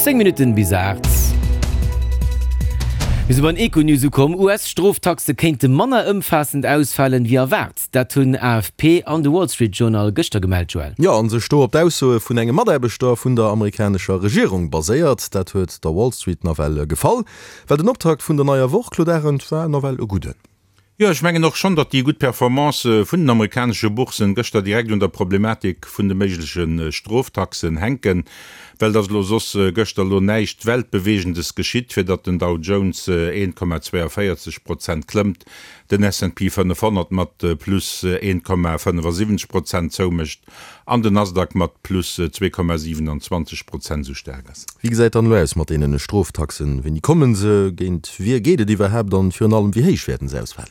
10 Minutten bis 8. Mir si beim Econews ukomm. US-Stroftaxe kéinte manner ëmfaassend ausfalen, wéi erwaart. Dat hunn AFP an de Wall Street Journal gëschter gemellt, Joël. Jo, an sech do op d'Aussoe vun engem Mataarbechter vun der amerikanescher Regierung baséiert. Dat huet der Wall Street nawell gefall, well den Optakt vun der neier Woch, Claude Arend, war nawell e gudden. Jo, ech mengen och schonn, datt déi gutt Performance vun den amerikanesche Boursen gëschter direkt un der Problematik vun de méigleche Stroftaxen hänken, well et ass elo soss gëschter elo näischt Weltbewegendes geschitt, fir datt den Dow Jones 1,42 Prozent klëmmt, den S&P 500 mat plus 1,75 Prozent zoumécht an den Nasdaq mat plus 2,27 Prozent esou staark ass. Wéi gesäit dann elo aus mat deenen Stroftaxen? Wéini kommen se? Géint wie geet et iwwerhaapt? An virun allem, wéi héich wäerten se ausfalen?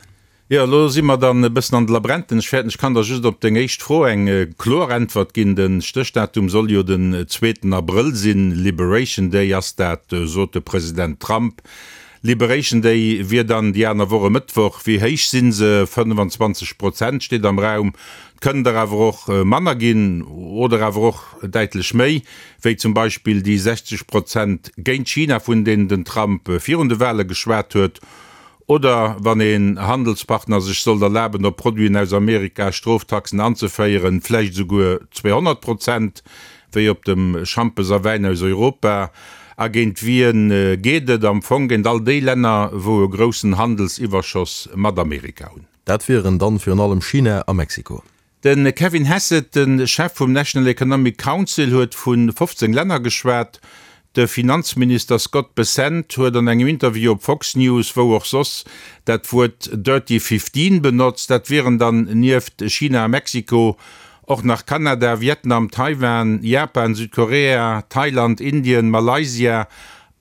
Jo, elo si mer dann e bëssen an de Labrenten. Ech fäerten, ech kann der just op deng éischt Fro eng kloer Äntwert ginn. De Stéchdatum soll jo den zweeten Abrëll sinn. Liberation Day ass dat, sot de President Trump. Liberation Day wier dann déi aner Woch e Mëttwoch. Wéi héich si se? 25 Prozent steet am Raum. Et kënnen der awer och manner ginn oder awer och däitlech méi, wéi zum Beispill déi 60 Prozent géint China, vun deenen den Trump virun de Wale geschwat huet. Oder wann een Handelspartner sech sollt erlaben, op Produiten aus Amerika Stroftaxen anzeféieren, vläicht esouguer 200 Prozent, wéi op dem Schampes a Wäin aus Europa. A géint wien geet et? Am Fong géint all déi Länner, wou e groussen Handelsiwwerschoss mat Amerika hunn. Dat wieren dann virun allem China a Mexiko. De Kevin Hassett, de Chef vum National Economic Council, huet vu 15 Länner geschwat. De Finanzminister Scott Bessent huet an engem Interview op Fox News, wou och soss, dat Wuert Dirty Fifteen benotzt. Dat wieren dann nieft China a Mexiko och nach Kanada, Vietnam, Taiwan, Japan, Südkorea, Thailand, Indien, Malaysia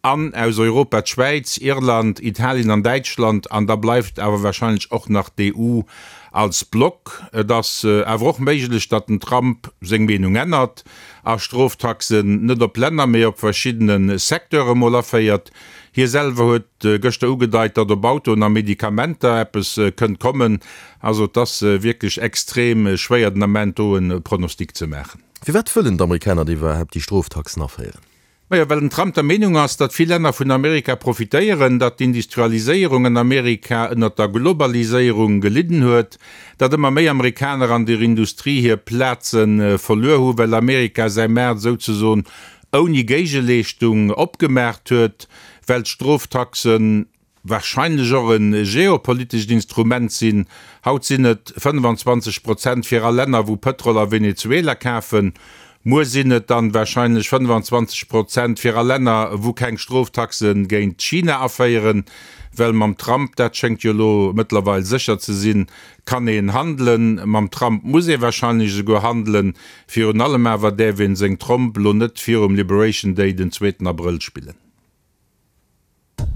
an aus Europa d'Schwäiz, Irland, Italien an Däitschland. An da bleift awer warscheinlech och nach d'EU als Block. Et ass awer och méiglech, datt den Trump seng Meenung ännert a Stroftaxen net op Länner, mee op verschiddene Secteure mol aféiert. Hie selwer huet gëschter ugedeit, datt op Autoen a Medikamenter eppes kënnt kommen. Also et ass wierklech extrem schwéier den Ament do e Pronostic ze maachen. Firwat wëllen d'Amerikaner da iwwerhaapt déi Stroftaxen aféieren? Majo, well den Trump der Meenung ass, datt vill Länner vun Amerika profitéieren, datt d'Industrialiséierung an Amerika ënnert der Globaliséierung gelidden huet, datt ëmmer méi Amerikaner an der Industrie hir Plaze verluer hu well Amerika säi Maart souzesoen ouni Géigeleeschtung opgemaacht huet, well d'Stroftaxen warscheinlech och e geopolitescht Instrument sinn. Haut sinn et 25 Prozent fir all Länner, wou Pëtrol a Venezuela kafen. Muer sinn et dann warscheinlech 25 Prozent fir all Länner, wou keng Stroftaxe géint China aféieren. Well mam Trump, dat schéngt jo elo mëttlerweil sécher ze sinn, kann een handelen. Mam Trump muss ee warscheinlech esouguer handelen. Virun allem awer däerf een seng Tromp lo net virum Liberation Day den zweeten Abrëll spillen.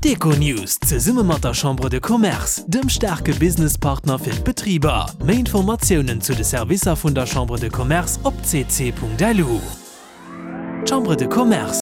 D'Econews zesumme mat der Chambre de Commerce, dem staarke Businesspartner fir d'Betriber. Méi Informatiounen zu de Servicer vun der Chambre de Commerce op cc.lu. Chambre de Commerce.